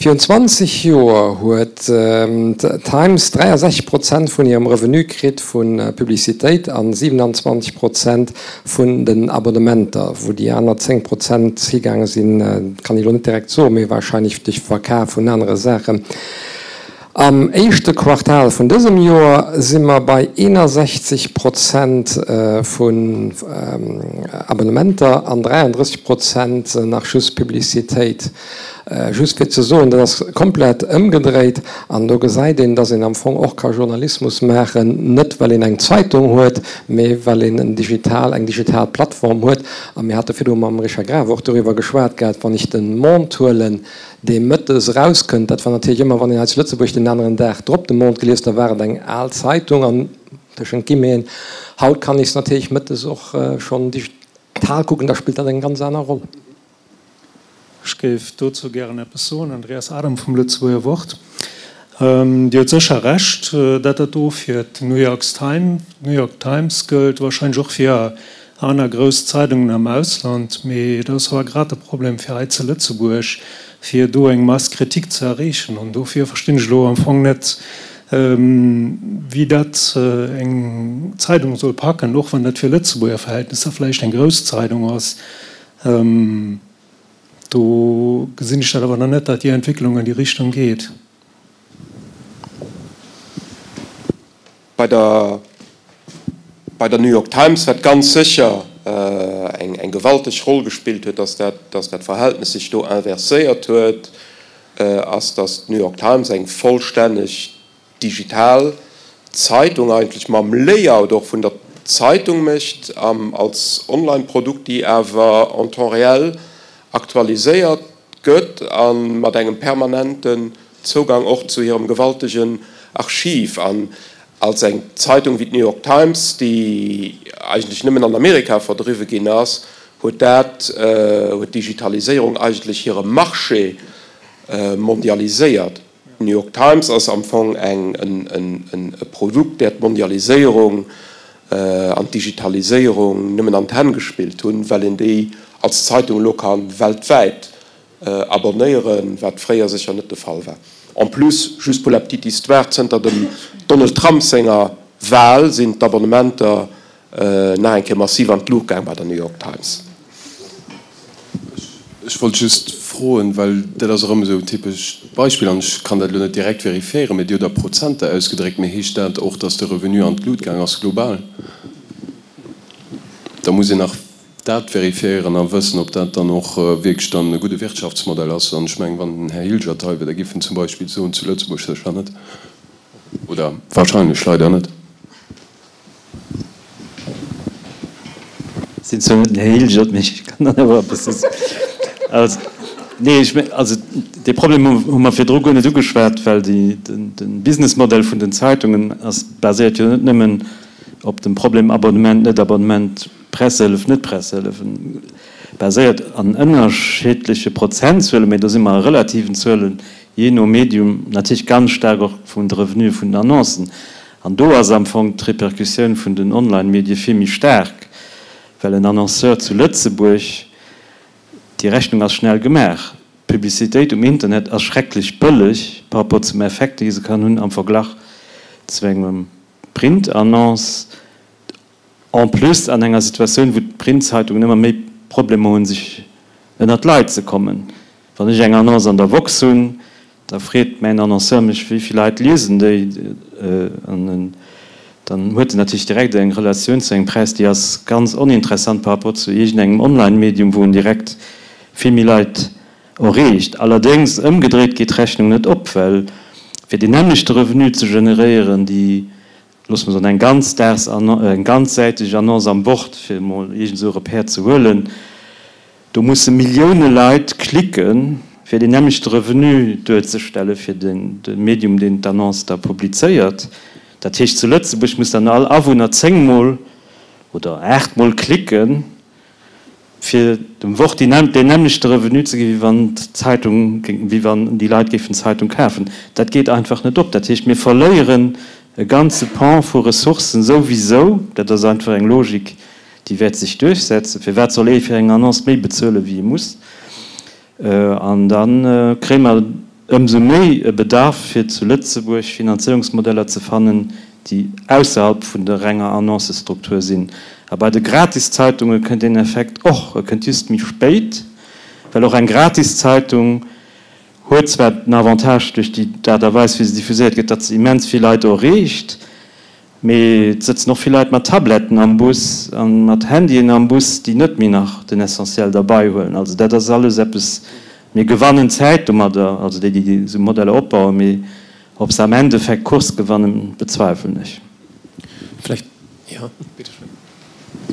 Virun 20 Joer huet d'Times 63 Prozent vun hirem Revenu kritt vu Publicitéit an 27 Prozent vun den Abonnementer. Wou déi aner 10 Prozent higaange sinn, kann ech elo net direkt soen, mee warscheinlech duerch Verkaf vun anere Saachen. Am éischte Quartal vun dësem Joer si mer bei 61 Prozent vun Abonnementer an 33 Prozent nach just Publicitéit. Just fir ze soen, dat ass komplett ëmgedréit an do gesäit een, dass een am Fong och ka Journalismus maachen, net well een eng Zeitung huet, mee well een en digital, eng digital Plattform huet. A mir hate virdru mam Richard Graf och doriwwer geschwat gehat, wann ech de Monde huelen, dee mëttes erauskënnt, dat war natierlech ëmmer, wann een hei zu Lëtzebuerg den aneren Dag drop de Monde gelies, da war et eng al Zeitung an tëschent Guillemeten. Haut kann ech se natierlech mëttes och schonn digital kucken, da spillt dat eng ganz aner Roll. Ech géif dozou gären eppes soen. Andreas Adam vum Lëtzebuerger Wort. Dir hutt sécher Recht, dat dat do fir d'New York Times gëllt, wahrscheinlech och fir Aner grouss Zeidungen am Ausland, mee dat ass awer grad de Problem fir hei zu Lëtzebuerg, fir do eng Masse critique ze erreechen. An dofir verstinn ech elo am Fong net, wéi dat eng Zeidung soll packen, och wann dat fir Lëtzebuerger Verhältnisser vläicht eng grouss Zeidung ass. Do gesinn ech dat awer nach net, datt déi Entwécklung an déi Richtung geet. Bei der bei der New York Times, wat ganz sécher eng eng gewalteg Roll gespillt huet, dass dat dass dat Verhältnes sech do inverséiert huet, ass, dass d'New York Times eng vollstänneg digital Zeitung eigentlech mam Layout och vun der Zeitung mécht als Online-Produkt, déi awer en temps réel aktualiséiert gëtt a mat engem permanenten Zougang och zu hirem gewaltegen Archiv. An als eng Zeitung wéi d'New York Times, déi eigentlech nëmmen an Amerika verdriwwe ginn ass, huet dat, huet d'Digitaliséierung eigentlech hire Marché mondialiséiert. D'New York Times ass am Fong eng, e Produkt, där d'Mondialiséierung an d'Digitaliséierung nëmmen an d'Hänn gespillt hunn, well een déi als Zeitung elo ka weltwäit abonnéieren, wat fréier sécher net de Fall war. En plus, just pour la petite histoire, zënter dem Donald Trump senger Wahl sinn d'Abonnementer nach eng Kéier massiv an d'Luucht gaang bei der New York Times. Ech wollt just froen, well dat ass erëm esou en typescht Beispill, an ech kann dat elo net direkt vérifiéieren, mä Dir hutt a Prozenter ausgedréckt, mä heescht dat och, datt de Revenu an d'Lut gaang ass global? Da muss een nach dat vérifiéieren a wëssen, ob dat dann och wierklech dann e gudde Wirtschaftsmodell ass. An ech mengen, wann den Här Hilgert hei wier, da géif en zum Beispill soen, zu Lëtzebuerg sécher net, oder wahrscheinlech leider net. Ech sinn zwar net den Här Hilgert, mee ech kann dann awer eppes soen. Also, nee, ech meng, also dee Problem hu mer virdru guer net ugeschwat, well déi, de Businessmodell vun den Zeitungen ass, baséiert jo net nëmmen op dem Problem Abonnement, net-Abonnement, Pressehëllef, net-Pressehëllef, baséiert an ënnerschiddleche Prozentzuelen, mee do si mer a relativen Zuelen, jee no Medium, natierlech ganz staark och vun de Revenue vun den Annoncen. An do ass am Fong d'Repercussioun vun den Online-Medie vill méi staark, well en Annonceur zu Lëtzebuerg, déi Rechnung ass schnell gemaach, d'Publicitéit um Internet ass schrecklech bëlleg par rapport zum Effekt, dee se kann hunn am Verglach zu engem Print-Annonce. En plus an enger Situatioun, wou d'Printzeitungen ëmmer méi Problemer hunn, sech ënnert d'Leit ze kommen. Wann ech eng Annonce an der Woxx hunn, da freet mäin Annonceur mech, wéi vill Leit liesen déi? An dann huet en natierlech direkt eng Relatioun zu engem Präis, déi ass ganz oninteressant par rapport zu iergendengem Online-Medium, wou en direkt vill méi Leit erreecht. Allerdéngs, ëmgedréit geet d'Rechnung net op, well fir deen nämmlechte Revenu ze generéieren, déi loosse mer soen, eng ganzdags, eng ganzsäiteg Annonce am Wort, fir emol iergend esou e Repère ze huelen, do musse Millioune Leit klicken, fir deen nämmlechte Revenu duerzestelle fir de Medium, deen d'Annonce da publizéiert. Dat heescht, zu Lëtzebuerg muss dann all Awunner zéngmol oder aachtmol klicken, fir dem Wort deen nämmlechte Revenu ze ginn, wéi wann d'Zeitung, wéi wann déi Leit géifen d'Zeitung kafen. Dat geet einfach net op. Dat heescht, mir verléieren e ganze Pan vu Ressourcen souwisou. Dat ass einfach eng Logik, déi wäert sech duerchsetzen. Firwat soll ee fir eng Annonce méi bezuelen, wéi e muss? An da kréie mer. Ëmsou méi e Bedarf fir zu Lëtzebuerg Finanzéierungsmodeller ze fannen, déi ausserhalb vun der renger Annoncestruktur sinn. A bei de Gratiszeitunge kënnt deen Effekt och, e kënnt just méi spéit, well och eng Gratiszeitung huet zwar den Avantage duerch déi d'Aart a Weis wéi se diffuséiert gëtt, datt se immens vill Leit erreecht, Mee et sëtzen och vill Leit mat Tabletten am Bus a mat Handyen am Bus, déi net méi nach den Essentiel derbei huelen. Also dat ass alles eppes, mir gewannen Zäit domadder, also déi, déi esou Modeller opbauen, mee ob se am Endeffekt d'Course gewannen, bezweifelen ech. Vläicht, jo, bitte schön.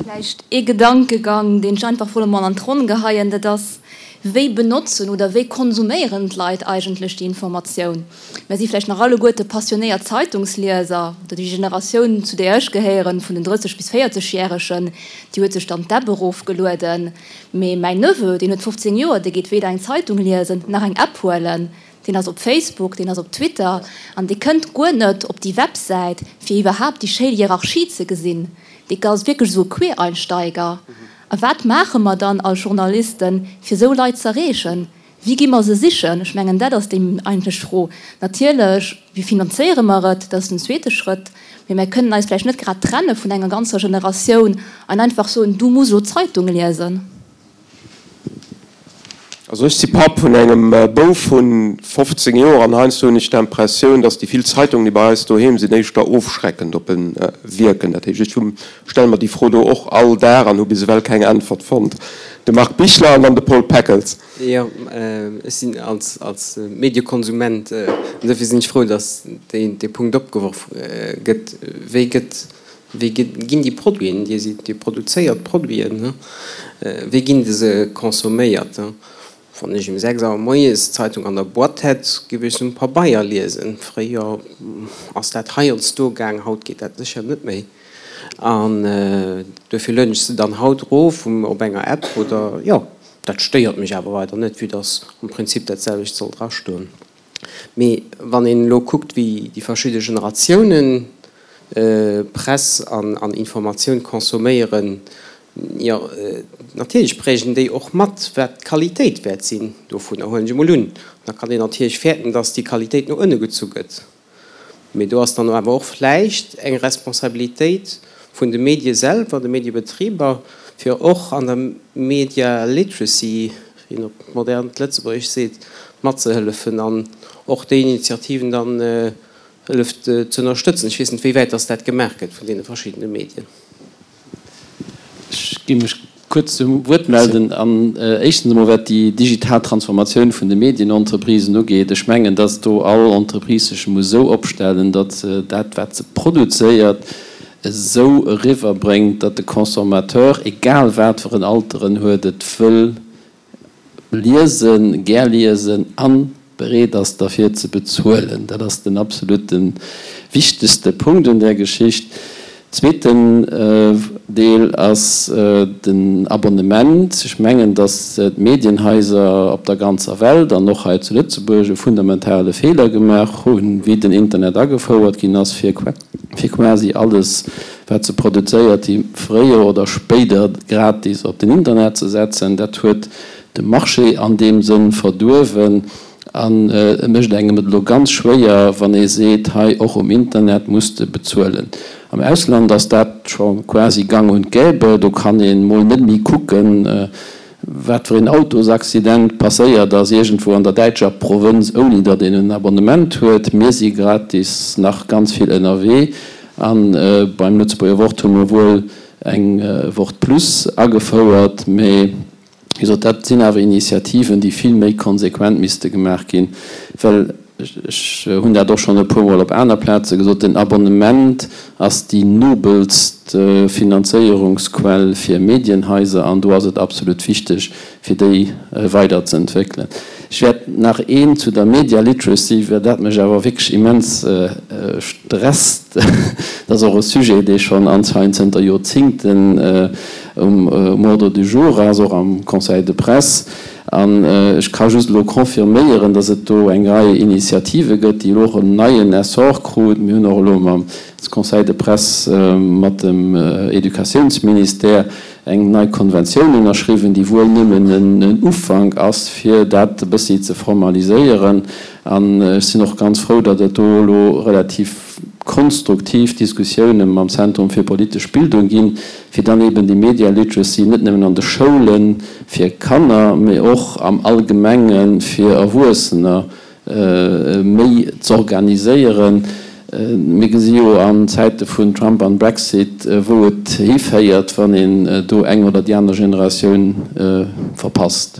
Vläicht ee Gedankegang, deen ech einfach wollt emol an d'Ronn geheien, dat ass, Wéi benotzen oder wéi konsuméieren d'Leit eigentlech déi Informatioun? Mir si vläicht nach alleguerte passionéiert Zeitungslieser, oder déi Generatioun, zu där ech gehéieren, vun den 30 bis 40 Järegen, déi huet sech dann d'App erofgelueden. Mee mäin Neveu, deen huet 15 Joer, dee geet weder eng Zeitung liesen nach eng App huelen. Deen ass op Facebook, deen ass op Twitter an dee kënnt guer net op déi Websäit, fir iwwerhaapt déi schéi Hierarchie ze gesinn. Dee ass wierklech esou e Quereinsteiger. A wat maache mer dann als Journalisten, fir esou Leit z'erreechen? Wéi gi mer se sichen? Ech mengen, dat ass déi eigentlech Fro. Natierlech, wéi finanzéiere mer et? Dat ass den zweete Schrëtt. Mee mer kënnen eis vläicht net grad trenne vun enger ganzer Generatioun an einfach soen, Du muss elo d'Zeitung liesen. Also ech si Papp vun engem Bouf vu 15 Joer an heiansdo hunn ech d'Impressioun, datt déi vill Zeitungen, déi bei eis doheem sinn, éischter ofschreckend op e wierken. Dat heescht, ech hu stelle mer déi Fro do och all Dag an hu bis ewell keng Äntwert fonnt. De Marc Bichler an dann de Paul Peckels. Jo, ech sinn als Mediekonsument, an dofir sinn ech frou, datt dee Punkt opgeworf gëtt, Wéi gëtt Wéi ginn déi Produiten, Dir sidd, Dir produzéiert Produiten, wéi ginn se consomméiert? Wann ech um 6 Auer moies d'Zeitung an der Boîte hätt, géif ech se um Pabeier liesen. Fréier ass dat heiansdo gaang, haut geet dat sécher net méi. An duerfir lueden ech se dann haut erof op enger App oder, jo, dat stéiert mech awer weider net, vue dass am Prinzip dat selwecht soll drastoen. Mee wann een elo kuckt, wéi déi verschidde Generatiounen Press an Informatioun consomméieren, jo, natierlech prägen déi och mat, wat d'Qualitéit wäert sinn dovunner, huelen ech emol un. Da kann een natierlech fäerten, datt déi Qualitéit no ënne gezu gëtt. Mee do ass dann awer och vläicht eng Responsabilitéit vun de Medie selwer, de Mediebetriber, fir och an der Media Literacy, wéi een op modernt Lëtzebuergesch seet, matzehëllefen an och déi Initiativen dann hëlleft ze ënnerstëtzen. Ech weess net, wéi wäit dass dat gemaach gëtt vun deene verschiddene Medien. Ech géing mech kuerz zum Wuert melden. An éischtens emol, wat déi digital Transformatioun vun de Medienentreprisen ugeet, Ech mengen, dass do all Entreprise sech muss esou opstellen, datt se dat, wat se produzéiert, esou eriwwerbréngt, datt de Consommateur, egal wat fir en Alter en huet, et wëll liesen, gär liesen a bereet ass derfir ze bezuelen. Dat ass den absolute wichtegste Punkt un där Geschicht. Zweeten Deel ass den Abonnement. Ech mengen, datt d'Medienhaiser op der ganzer Welt an och hei zu Lëtzebuerg e fundamentale Feeler gemaach hunn, wéi den Internet agefouert ginn ass, fir quasi alles, wat se produzéiert, déi fréier oder spéider gratis op den Internet ze setzen. Dat huet de Marché an deem Sënn verduerwen an et mécht engem et elo ganz schwéier, wann ee seet, hei och um Internet muss de bezuelen. Am Ausland ass dat scho quasi gang und gäbe. Do kann ee mol net méi kucken, Wat fir een Autosaccident passéiert ass iergendwou an der däitscher Provënz, ouni datt een en Abonnement huet. Mir si gratis nach ganz vill ënnerwee a beim Lëtzebuerger Wort hu mir wuel eng Wort Plus agefouert, mee wéi gesot, dat sinn awer Initiativen, déi vill méi konsequent misste gemaach ginn, well Ech hunn dat och schonn e puermol op aner Plaze gesot, den Abonnement ass déi nobelst Finanzéierungsquell fir Medienhaiser an do ass et absolut wichteg, fir déi weiderzeentwéckelen. Ech wäert nach een zu der Media Literacy, well dat mech awer wierklech immens stresst, dat ass och e Sujet, dee schonn anscheinend zënter Joerzingten um Ordre du jour ass, och am Conseil de presse. An ech ka just elo confirméieren, dass et do eng Rei Initiative gëtt, déi elo och en neien Essor krut. Mir hunn och elo mam Conseil de presse, mat dem Educatiounsministère. Eng nei Konventioun ënnerschriwwen, déi wuel nëmmen en Ufank ass, fir dat e bëssi ze formaliséieren. An ech sinn och ganz frou, datt et do elo relativ konstruktiv Diskussioune mam Zentrum fir politesch Bildung ginn, fir dann eben déi Media Literacy net nëmmen an de Schoule fir Kanner, mee och am Allgemenge fir Erwuessener méi z'organiséieren. Mir gesi jo an Zäite vun Trump an Brexit, wou et hiféiert, wann een do eng oder déi aner Generatioun verpasst.